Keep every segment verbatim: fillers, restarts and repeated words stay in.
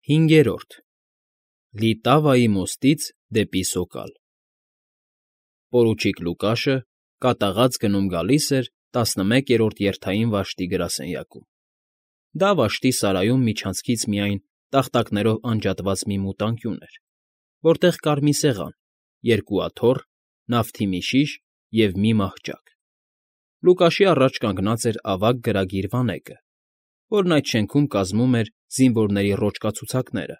Հինգերորդ Լիտավայի մոստից դեպի Սոկալ Պորուչիկ Լուկաշը կատաղած գնում֊գալիս էր տասնմեկերորդ երթային վաշտի գրասենյակում. դա վաշտի սարայում միջանցքից միայն տախտակներով անջատված մի մութ անկյուն էր, որտեղ կար մի սեղան, երկու աթոռ, նավթի մի շիշ և մի մահճակ. Լուկաշի առաջ կանգնած էր ավագ գրագիր վանեկը, որն այդ շենքում կազմում էր զինվորների ռոճկացուցակները,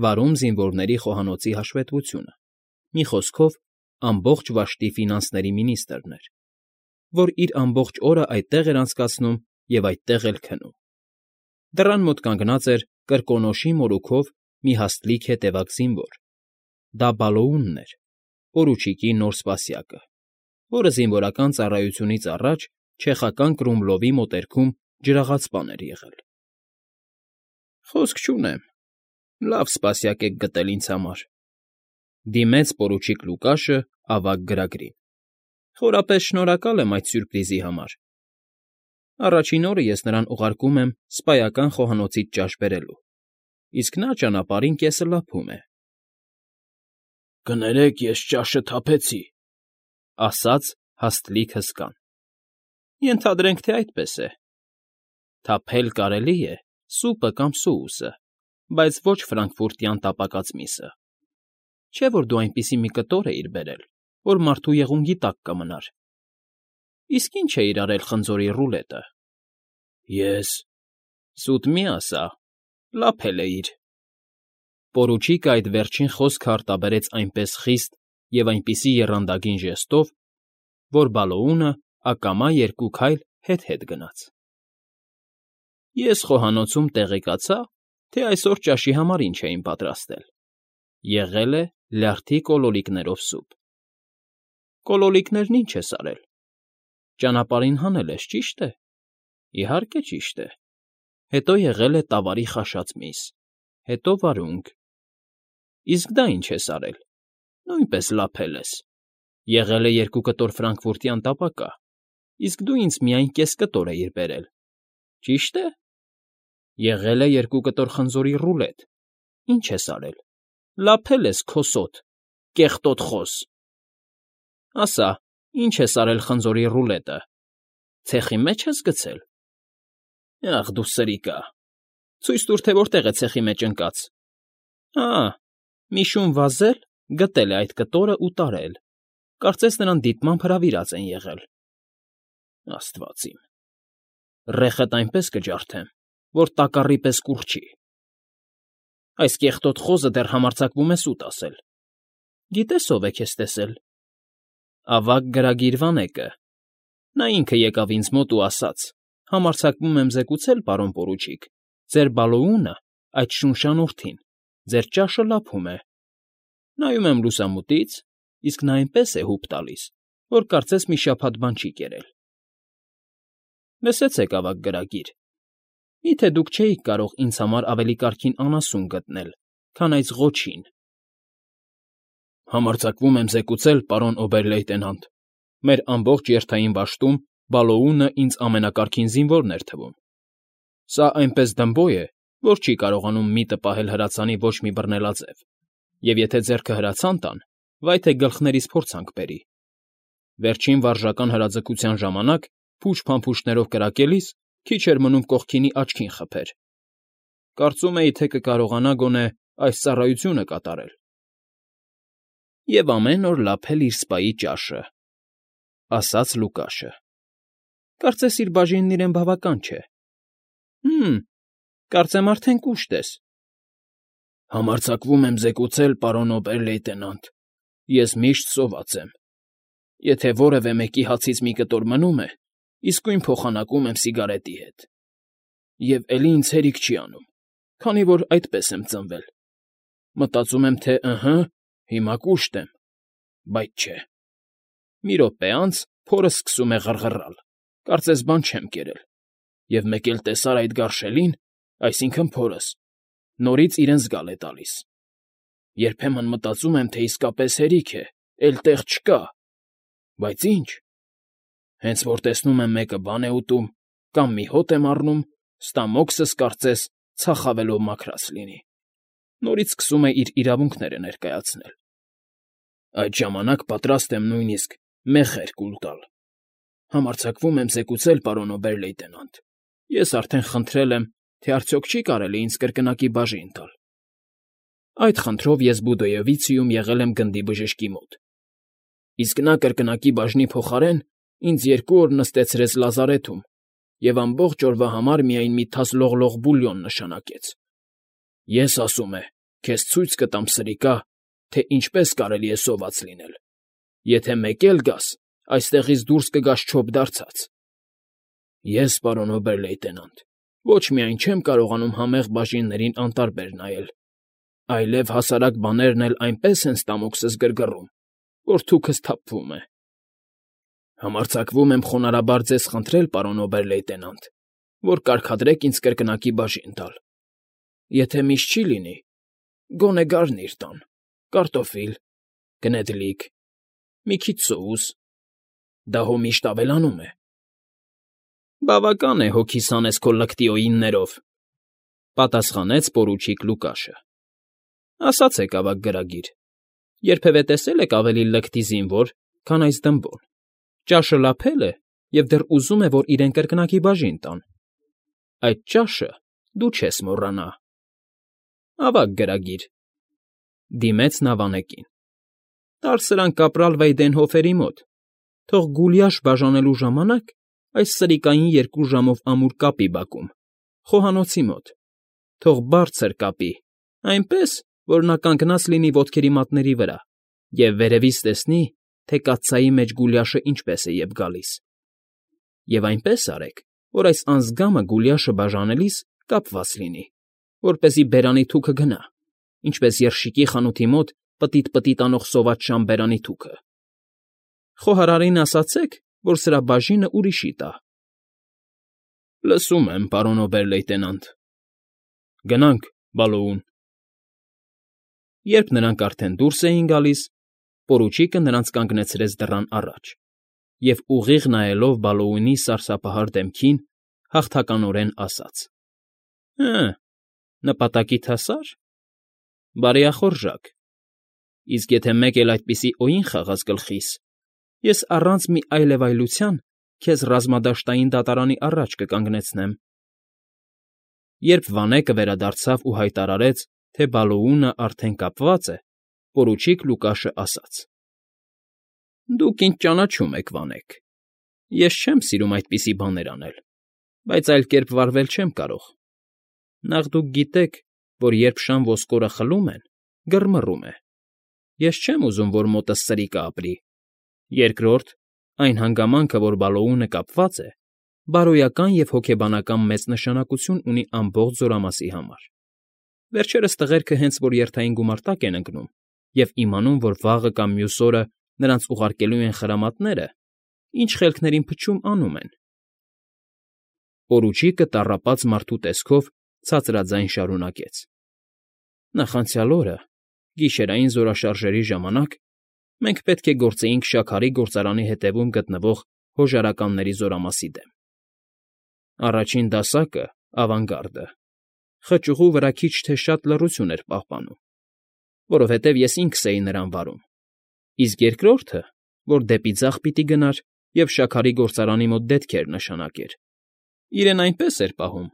վարում զինվորների խոհանոցի հաշվետվությունը, մի խոսքով, ամբողջ վաշտի ֆինանսների մինիստրն էր, որ իր ամբողջ օրն այդտեղ էր անցկացնում և այդտեղ էլ քնում. Դռան մոտ կանգնած էր կրկոնոշի մորուքով մի հաստլիկ հետևակ զինվոր. դա Բալոունն էր, պորուչիկի նոր սպասյակը, որը զինվորական ծառայությունից առաջ չեխական Կրումլովի մոտերքում ջրաղացպան էր եղել։ ֊ Խոսք չունեմ, լավ սպասյակ եք գտել ինձ համար,֊ դիմեց պորուչիկ Լուկաշը ավագ գրագրին։֊ Խորապես շնորհակալ եմ այդ սյուրպրիզի համար. առաջին օրը ես նրան ուղարկում եմ սպայական խոհանոցից ճաշ բերելու, իսկ նա ճանապարհին կեսը լափում է։ ֊ Կներեք, ես ճաշը թափեցի,֊ ասաց հաստլիկ հսկան։ ֊ Ենթադրենք, թե այդպես է. թափել կարելի է սուպը կամ սոուսը, բայց ոչ ֆրանկֆուրտյան տապակած միսը, չէ՞ որ դու այնպիսի մի կտոր էիր բերել, որ մարդու եղունգի տակ կմնար։ Իսկ ի՞նչ էիր արել խնձորի ռուլետը։ ֊ Ես… Սուտ մի ասա, լափել էիր։ Պորուչիկը այդ վերջին խոսքը արտաբերեց այնպես խիստ և այնպիսի եռանդագին ժեստով, որ Բալոունը ակամա երկու քայլ հետ֊հետ գնաց։ ֊ Ես խոհանոցում տեղեկացա, թե այսօր ճաշի համար ինչ էին պատրաստել. եղել է լյարդի կոլոլիկներով սուպ։ ֊ Կոլոլիկներն ի՞նչ ես արել։ Ճանապարհին հանել ես, ճի՞շտ է։ ֊ Իհարկե, ճիշտ է։ Հետո եղել է տավարի խաշած միս, հետո վարունգ։ ֊ Իսկ դա ի՞նչ ես արել։ Նույնպես լափել ես։ Եղել է երկու կտոր ֆրանկֆուրտյան տապակա, իսկ դու ինձ միայն կես կտոր էիր բերել, ճի՞շտ է։ Եղել է երկու կտոր խնձորի ռուլետ, ի՞նչ ես արել։ Լափել ես, քոսոտ, կեղտոտ խոս։ Ասա, ի՞նչ ես արել խնձորի ռուլետը, ցեխի մե՞ջ ես գցել։ Ախ դու սրիկա, ցույց տուր, թե որտեղ է ցեխի մեջ ընկած։ Ա՜, մի շուն վազել, գտել է այդ կտորն ու տարել, կարծես նրան դիտմամբ հրավիրած են եղել։ Աստված իմ… Ռեխդ այնպես կջարդեմ, որ տակառի պես կուռչի։ Այս կեղտոտ խոզը դեռ համարձակվում է սուտ ասել։ Գիտե՞ս ով է քեզ տեսել։ Ավագ գրագիր վանեկը։ Նա ինքը եկավ ինձ մոտ ու ասաց. համարձակվում եմ զեկուցել, պարոն պորուչիկ, ձեր Բալոունը, այդ շունշան ուռթին, ձեր ճաշը լափում է։ Նայում եմ լուսամուտից, իսկ նա այնպես է հուպ տալիս, որ կարծես մի շաբաթ բան չի կերել։ Լսեցեք, ավագ գրագիր, մի՞թե դուք չէիք կարող ինձ համար ավելի կարգին անասուն գտնել, քան այս ղոչին։ Համարձակվում եմ զեկուցել, պարոն օբեր֊լեյտենանտ, մեր ամբողջ երթային վաշտում Բալոունը ինձ ամենակարգին զինվորն էր թվում։ Սա այնպես դմբո է, որ չի կարողանում միտը պահել հրացանի ոչ մի բռնելաձև, և եթե ձեռքը հրացան տան, վայ թե գլխներիս փորձանք բերի։ Վերջին վարժական հրաձգության ժամանակ փուշ֊փամփուշտներով կրակելիս քիչ էր մնում կողքինի աչքին խփեր։ Կարծում էի, թե կկարողանա գոնե այս ծառայությունը կատարել։ Եվ ամեն օր լափել իր սպայի ճաշը,֊ ասաց Լուկաշը։ Կարծես իր բաժինն իրեն բավական չէ։ Հը՛մ, կարծեմ արդեն կուշտ ես։ Համարձակվում եմ զեկուցել, պարոն օբեր֊լեյտենանտ, ես միշտ սոված եմ։ Եթե որևէ մեկի հացից մի կտոր մնում է, իսկույն փոխանակում եմ սիգարետի հետ։ Եվ էլի ինձ հերիք չի անում, քանի որ այդպես եմ ծնվել։ Մտածում եմ, թե ըհը, հիմա կուշտ եմ, բայց չէ։ Մի րոպե անց փորս սկսում է ղռղռալ, կարծես բան չեմ կերել, և մեկ էլ տեսար այդ գարշելին, այսինքն փորս, նորից իրեն զգալ է տալիս։ Երբեմն մտածում եմ, թե իսկապես հերիք է, էլ տեղ չկա, բայց ի՞նչ։ Հենց որ տեսնում եմ մեկը բան է ուտում կամ մի հոտ եմ առնում, ստամոքսս կարծես ցախավելով մաքրած լինի։ նորից սկսում է իր իրավունքները ներկայացնել։ Այդ ժամանակ պատրաստ եմ նույնիսկ մեղր կուլ տալ։ Համարձակվում եմ զեկուցել, պարոն օբեր֊լեյտենանտ, ես արդեն խնդրել եմ, թե արդյոք չի կարելի ինձ կրկնակի բաժին տալ։ Այդ խնդրով ես Բուդոյովիցիում եղել եմ գնդի բժշկի մոտ, իսկ նա կրկնակի բաժնի փոխարեն ինձ երկու օր նստեցրեց լազարեթում և ամբողջ օրվա համար միայն մի թաս լողլող բուլյոն նշանակեց։ Ես, ասում է, քեզ ցույց կտամ, սրիկա, թե ինչպես կարելի է սոված լինել, եթե մեկ էլ գաս, այստեղից դուրս կգաս չոպդարձած։ Ես, պարոն օբեր֊լեյտենանտ, ոչ միայն չեմ կարողանում համեղ բաժիններին անտարբեր նայել, այլև հասարակ բաներն էլ այնպես են ստամոքսս գրգռում, որ թուքս թափվում է։ Համարձակվում եմ խոնարհաբար ձեզ խնդրել, պարոն օբեր֊լեյտենանտ, որ կարգադրեք ինձ կրկնակի բաժին տալ։ Եթե միշտ չի լինի, գոնե գարնիր տան, կարտոֆիլ, գնեդլիկ, մի քիչ սոուս, դա հո միշտ ավելանում է։ Բավական է հոգիս հանես քո լկտիօիններով, պատասխանեց պորուչիկ Լուկաշը։ Ասացեք, ավագ գրագիր, երբևէ տեսե՞լ եք ավելի լկտի զինվոր, քան այս դմբոն։ Ճաշը լափել է և դեռ ուզում է, որ իրեն կրկնակի բաժին տան։ Այդ ճաշը դու չես մոռանա։ Ավագ գրագիր, դիմեց նա վանեկին, տար սրան կապրալ Վեյդենհոֆերի մոտ, թող գուլյաշ բաժանելու ժամանակ այս սրիկային երկու ժամով ամուր կապի բակում, խոհանոցի մոտ, թող բարձր կապի, այնպես, որ նա կանգնած լինի ոտքերի մատների վրա և վերևից տեսնի, թե կաթսայի մեջ գուլյաշը ինչպես է ետ գալիս։ Եվ այնպես արեք, որ այս անձգամը գուլյաշը բաժանելիս կապված լինի, որպեսզի բերանի թուքը գնա, ինչպես երշիկի խանութի մոտ պտիտ֊պտիտ անող սոված շան բերանի թուքը։ Խոհարարին ասացեք, որ սրա բաժինը ուրիշի տա։ Լսում եմ, պարոն օբեր֊լեյտենանտ։ Գնանք, Բալոուն։ Երբ նրանք արդեն դուրս էին գալիս, պորուչիկը նրանց կանգնեցրեց դռան առաջ և, ուղիղ նայելով Բալոունի սարսափահար դեմքին, հաղթականորեն ասաց. Հը, նպատակիդ հասա՞ր։ Բարեախորժակ, իսկ եթե մեկ էլ այդպիսի օին խաղաս գլխիս, ես առանց մի այլևայլության քեզ ռազմադաշտային դատարանի առաջ կկանգնեցնեմ։ Երբ վանեկը վերադարձավ ու հայտարարեց, թե Բալոունը արդեն կապված է, պորուչիկ Լուկաշը ասաց. Դուք ինձ ճանաչում եք, վանեք, ես չեմ սիրում այդպիսի բաներ անել, բայց այլ կերպ վարվել չեմ կարող։ Նախ դուք գիտեք, որ երբ շան ոսկորը խլում են, գրմռում է։ Ես չեմ ուզում, որ մոտս սրիկը ապրի։ Երկրորդ, այն հանգամանքը, որ Բալոունը կապված է, բարոյական և հոգեբանական մեծ նշանակություն ունի ամբողջ զորամասի համար։ Վերջերս տղերքը հենց որ երթային գումարտակ են ընկնում և իմանում, որ վաղը կամ մյուս օրը նրանց ուղարկելու են խրամատները, ինչ խելքներին փչում անում են։ Պորուչիկը տառապած մարդու տեսքով ցածրաձայն շարունակեց. Նախանցյալ օրը, գիշերային զորաշարժերի ժամանակ, մենք պետք է գործեինք շաքարի գործարանի հետևում գտնվող հոժարականների զորամասի դեմ։ Առաջին դասակը, ավանգարդը, խճուղու վրա քիչ թե շատ լռություն էր պահպանում, որովհետև ես ինքս էի նրան վարում, իսկ երկրորդը, որ դեպի ձախ պիտի գնար և շաքարի գործարանի մոտ դետքեր նշանակեր, իրեն այնպես էր պահում,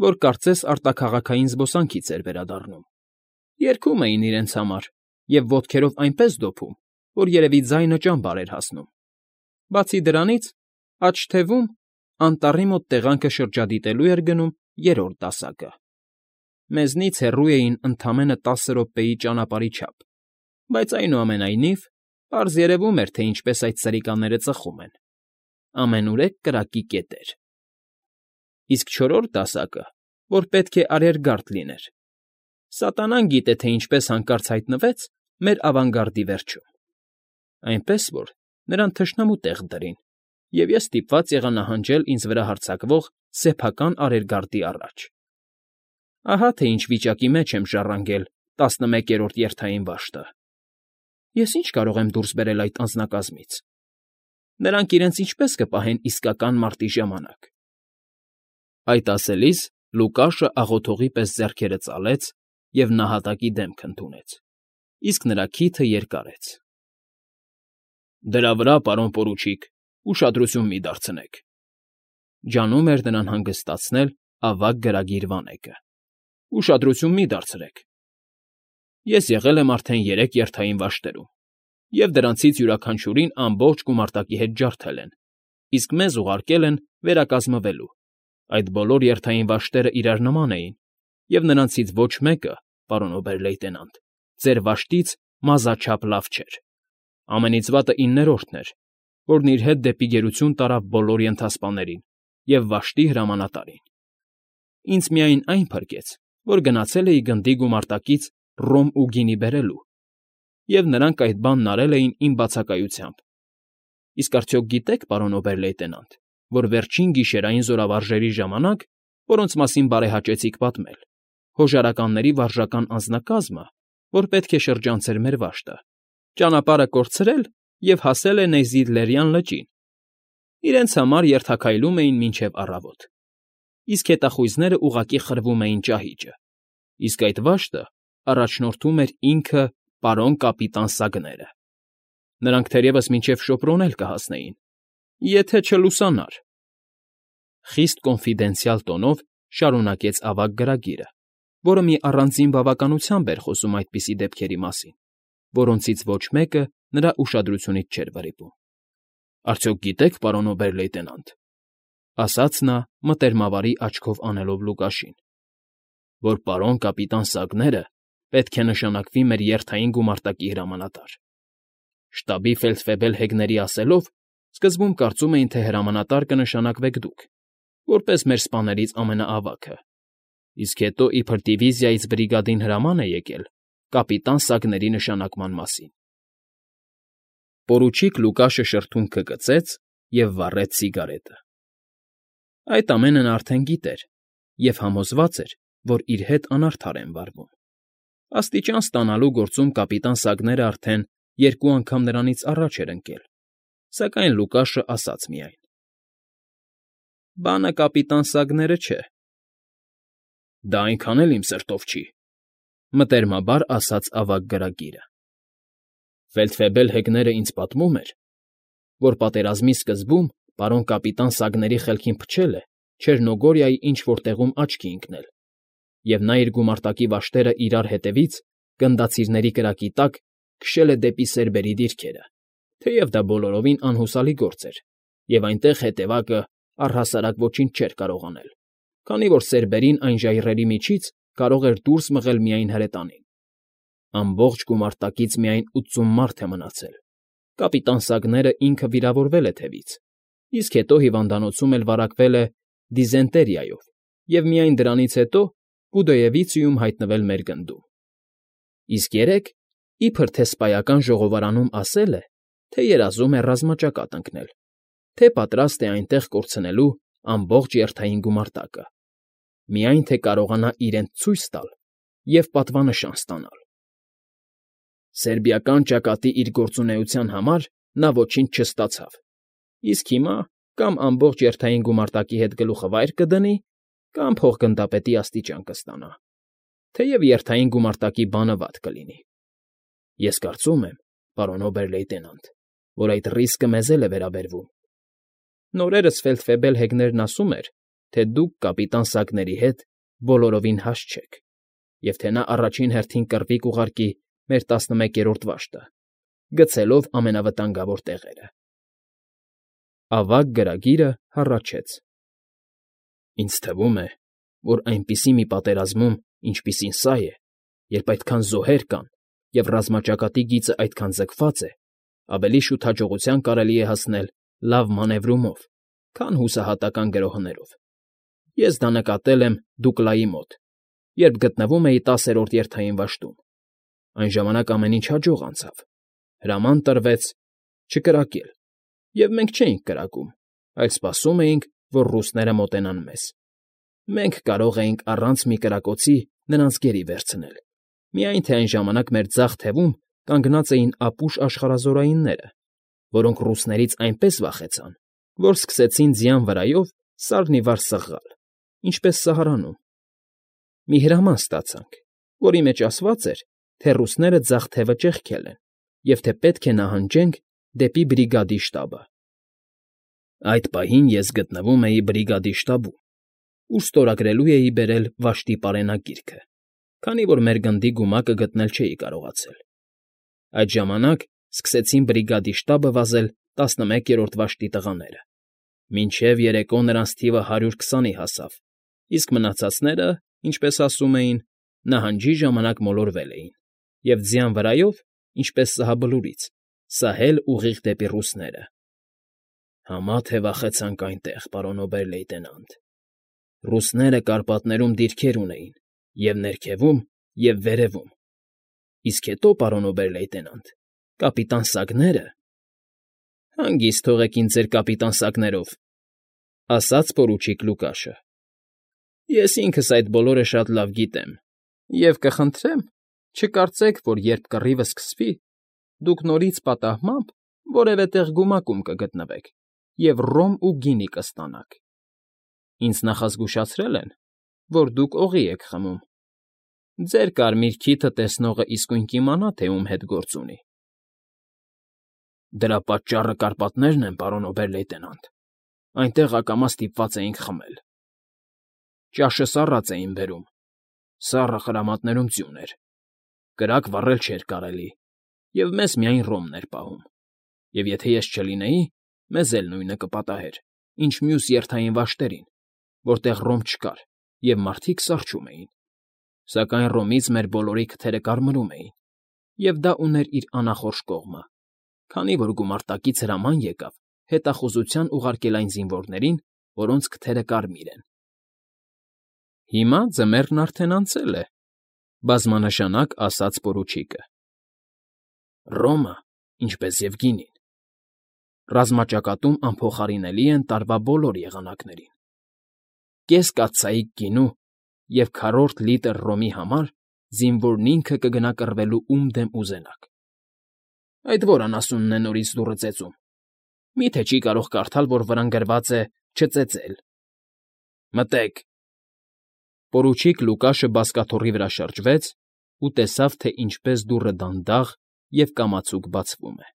որ կարծես արտաքաղաքային զբոսանքից էր վերադառնում։ Երգում էին իրենց համար և ոտքերով այնպես դոփում, որ երևի ձայնը ճամբար էր հասնում։ Բացի դրանից, աջ թևում, անտառի մոտ տեղանքը շրջադիտելու էր գնում երրորդ դասակը։ Մեզնից հեռու էին ընդամենը տասը րոպեի ճանապարհի չափ, բայց այնուամենայնիվ պարզ երևում էր, թե ինչպես այդ սրիկաները ծխում են։ Ամենուրեք կրակի կետեր։ Իսկ չորրորդ դասակը, որ պետք է արիերգարդ լիներ, սատանան գիտե, թե ինչպես հանկարծ հայտնվեց մեր ավանգարդի վերջում։ Այնպես որ նրան թշնամու տեղ դրին, և ես ստիպված եղա նահանջել ինձ վրա հարձակվող սեփական արիերգարդի առաջ։ Ահա թե ինչ վիճակի մեջ եմ ժառանգել տասնմեկերորդ երթային վաշտը։ Ես ի՞նչ կարող եմ դուրս բերել այդ անձնակազմից։ Նրանք իրենց ինչպես կպահեն իսկական մարտի ժամանակ։ Այդ ասելիս Լուկաշը աղոթողի պես ձեռքերը ծալեց և նահատակի դեմք ընդունեց, իսկ նրա քիթը երկարեց։ ֊ Դրա վրա, պարոն պորուչիկ, ուշադրություն մի դարձնեք,֊ ջանում էր նրան հանգստացնել ավագ գրագիր վանեկը,֊ ուշադրություն մի դարձրեք… Ես եղել եմ արդեն երեք երթային վաշտերում, և դրանցից յուրաքանչյուրին ամբողջ գումարտակի հետ ջարդել են, իսկ մեզ ուղարկել են վերակազմվելու. այդ բոլոր երթային վաշտերն իրար նման էին, և նրանցից ոչ մեկը, պարոն օբեր֊լեյտենանտ, ձեր վաշտից մազաչափ լավ չէր. ամենից վատը իններորդն էր, որն իր հետ դեպի գերություն տարավ բոլոր ենթասպաներին և վաշտի հրամանատարին. ինձ միայն այն փրկեց, որ գնացել էի գնդի գումարտակից ռոմ ու գինի բերելու, և նրանք այդ բանն արել էին իմ բացակայությամբ… Իսկ արդյոք գիտե՞ք, պարոն օբեր֊լեյտենանտ, որ վերջին գիշերային զորավարժերի ժամանակ, որոնց մասին բարեհաճեցիք պատմել, հոժարականների վարժական անձնակազմը, որ պետք է շրջանցեր մեր վաշտը, ճանապարհը կորցրել և հասել է Նեյզիլլերյան լճին. իրենց համար երթաքայլում էին մինչև առավոտ, իսկ հետախույզներն ուղղակի խրվում էին ճահիճը, իսկ այդ վաշտը առաջնորդում էր ինքը պարոն կապիտան Սագները… Նրանք թերևս մինչև Շոպրոն էլ կհասնեին, եթե չլուսանար…֊ խիստ կոնֆիդենցիալ տոնով շարունակեց ավագ գրագիրը, որը մի առանձին բավականությամբ էր խոսում այդպիսի դեպքերի մասին, որոնցից ոչ մեկը նրա ուշադրությունից չէր վրիպում։ ֊ Արդյոք գիտե՞ք, պարոն օբեր֊լեյտենանտ,֊ ասաց նա մտերմավարի աչքով անելով Լուկաշին,֊ որ պարոն կապիտան Սագները պետք է նշանակվի մեր երթային գումարտակի հրամանատար… Շտաբի ֆելդֆեբել Հեգների ասելով, սկզբում կարծում էին, թե հրամանատար կնշանակվեք դուք, որպես մեր սպաներից ամենաավագը, իսկ հետո իբր դիվիզիայից բրիգադին հրաման է եկել կապիտան Սագների նշանակման մասին… Պորուչիկ Լուկաշը շրթունքը կծեց և վառեց սիգարետը… Այդ ամենը նա արդեն գիտեր և համոզված էր, որ իր հետ անարդար են վարվում… Աստիճան ստանալու գործում կապիտան Սագները արդեն երկու անգամ նրանից առաջ էր ընկել, սակայն Լուկաշն ասաց միայն. «Բանը կապիտան Սագները չէ»։ ֊ Դա այնքան էլ իմ սրտով չի,֊ մտերմաբար ասաց ավագ գրագիրը,֊ ֆելդֆեբել Հեգները ինձ պատմում էր, որ պատերազմի սկզբում պարոն կապիտան Սագների խելքին փչել է Չեռնոգորիայի ինչ֊որ տեղում աչքի ընկնել, և նա իր գումարտակի վաշտերն իրար հետևից, գնդացիրների կրակի տակ, քշել է դեպի սերբերի դիրքերը, թեև դա բոլորովին անհուսալի գործ էր, և այնտեղ հետևակը առհասարակ ոչինչ չէր կարող անել, քանի որ սերբերին այն ժայռերի միջից կարող էր դուրս մղել միայն հրետանին… Ամբողջ գումարտակից միայն ութսուն մարդ է մնացել, կապիտան Սագներն ինքը վիրավորվել է թևից, իսկ հետո հիվանդանոցում էլ վարակվել է դիզենտերիայով և միայն դրանից հետո Պուդոևիցիում հայտնվել մեր գնդում… Իսկ երեկ, իբր թե սպայական ժողովարանում ասել է, թե երազում է ռազմաճակատ ընկնել, թե պատրաստ է այնտեղ կորցնելու ամբողջ երթային գումարտակը, միայն թե կարողանա իրենց ցույց տալ և պատվանշան ստանալ… Սերբիական ճակատի իր գործունեության համար նա ոչինչ չստացավ, իսկ հիմա կամ ամբողջ երթային գումարտակի հետ գլուխը վայր կդնի, կամ փոխգնդապետի աստիճան կստանա, թեև երթային գումարտակի բանը վատ կլինի… Ես կարծում եմ, պարոն օբեր֊լեյտենանտ, որ այդ ռիսկը մեզ էլ է վերաբերվում… Նորերս ֆելդֆեբել Հեգներն ասում էր, թե դուք կապիտան Սագների հետ բոլորովին հաստ չեք, և թե նա առաջին հերթին կռվի կուղարկի մեր տասնմեկերորդ վաշտը, գցելով ամենավտանգավոր տեղերը… Ավագ գրագիրը հառաչեց. ֊ Ինձ թվում է, որ այնպիսի մի պատերազմում, ինչպիսին սա է, երբ այդքան զոհեր կան և ռազմաճակատի գիծն այդքան ձգված է, ավելի շուտ հաջողության կարելի է հասնել լավ մանևրումով, քան հուսահատական գրոհներով… Ես դա նկատել եմ Դուկլայի մոտ, երբ գտնվում էի տասերորդ երթային վաշտում… Այն ժամանակ ամեն ինչ հաջող անցավ, հրաման տրվեց չկրակել, և մենք չէինք կրակում, այլ սպասում էինք, որ ռուսները մոտենան մեզ… Մենք կարող էինք առանց մի կրակոցի նրանց գերի վերցնել, միայն թե այն ժամանակ մեր ձախ թևում կանգնած էին ապուշ աշխարհազորայինները, որոնք ռուսներից այնպես վախեցան, որ սկսեցին ձյան վրայով սարն ի վար սղղալ, ինչպես Սահարանում… Մի հրաման ստացանք, որի մեջ ասված էր, թե ռուսները ձախ թևը ճեղքել են և թե պետք է նահանջենք դեպի բրիգադի շտաբը։ Այդ պահին ես գտնվում էի բրիգադի շտաբում, ուր ստորագրելու էի բերել վաշտի պարենագիրքը, քանի որ մեր գնդի գումակը գտնել չէի կարողացել։ Այդ ժամանակ սկսեցին բրիգադի շտաբը վազել տասնմեկերորդ վաշտի տղաները, մինչև երեկո նրանց թիվը հարյուր քսանի հասավ, իսկ մնացածները, ինչպես ասում էին, նահանջի ժամանակ մոլորվել էին և ձյան վրայով, ինչպես սահաբլուրից, սահել ուղիղ դեպի ռուսները։ Համա թե վախեցանք այնտեղ, պարոն օբեր֊լեյտենանտ։ Ռուսները Կարպատներում դիրքեր ունեին և՛ ներքևում, և՛ վերևում։ Իսկ հետո, պարոն օբեր֊լեյտենանտ, կապիտան Սագները… ֊ Հանգիստ թողեք ինձ ձեր կապիտան Սագներով,֊ ասաց պորուչիկ Լուկաշը։ ֊ Ես ինքս այդ բոլորը շատ լավ գիտեմ և կխնդրեմ, չկարծեք, որ երբ կռիվը սկսվի, դուք նորից պատահմամբ որևէ տեղ գումակում կգտնվեք և ռոմ ու գինի կստանաք։ Ինձ նախազգուշացրել են, որ դուք օղի եք խմում. ձեր կարմիր քիթը տեսնողն իսկույն կիմանա, թե ում հետ գործ ունի։ ֊ Դրա պատճառը Կարպատներն են, պարոն օբեր֊լեյտենանտ, այնտեղ ակամա ստիպված էինք խմել։ Ճաշը սառած էին բերում, սառը խրամատներում ձյուն էր, կրակ վառել չէր կարելի և մեզ միայն ռոմն էր պահում, և եթե ես չլինեի, մեզ էլ նույնը կպատահեր, ինչ մյուս երթային վաշտերին, որտեղ ռոմ չկար և մարդիկ սառչում էին, սակայն Ռոմից մեր բոլորի քթերը կարմրում էին, և դա ուներ իր անախորժ կողմը, քանի որ գումարտակից հրաման եկավ հետախուզության ուղարկել այն զինվորներին, որոնց քթերը կարմիր են։ ֊ Հիմա ձմեռն արդեն անցել է,֊ բազմանշանակ ասաց պորուչիկը։ ֊ Ռոմը, ինչպես և գինին, ռազմաճակատում անփոխարինելի են տարվա բոլոր եղանակներին։ Կես կաթսայիկ գինու և քառորդ լիտր ռոմի համար զինվորն ինքը կգնա կռվելու ում դեմ ուզենաք։ Այդ ո՞ր անասունն է նորից դուռը ծեծում, մի՞թե չի կարող կարդալ, որ վրան գրված է «չծեծել»։ Մտե՛ք… Պորուչիկ Լուկաշը բազկաթոռի վրա շրջվեց ու տեսավ, թե ինչպես դուռը դանդաղ և կամացուկ բացվում է։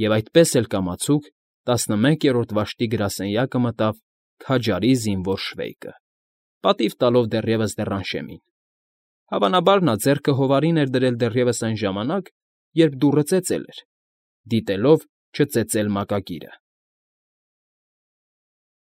Եվ այդպես էլ կամացուկ տասնմեկերորդ վաշտի գրասենյակը մտավ քաջարի զինվոր Շվեյկը, պատիվ տալով դեռևս Դեռանշեմին։ Հավանաբար նա ձեռքը հովարին էր դրել դեռևս այն ժամանակ, երբ դուռը ծեծել էր, դիտելով «չծեծել» մակագիրը։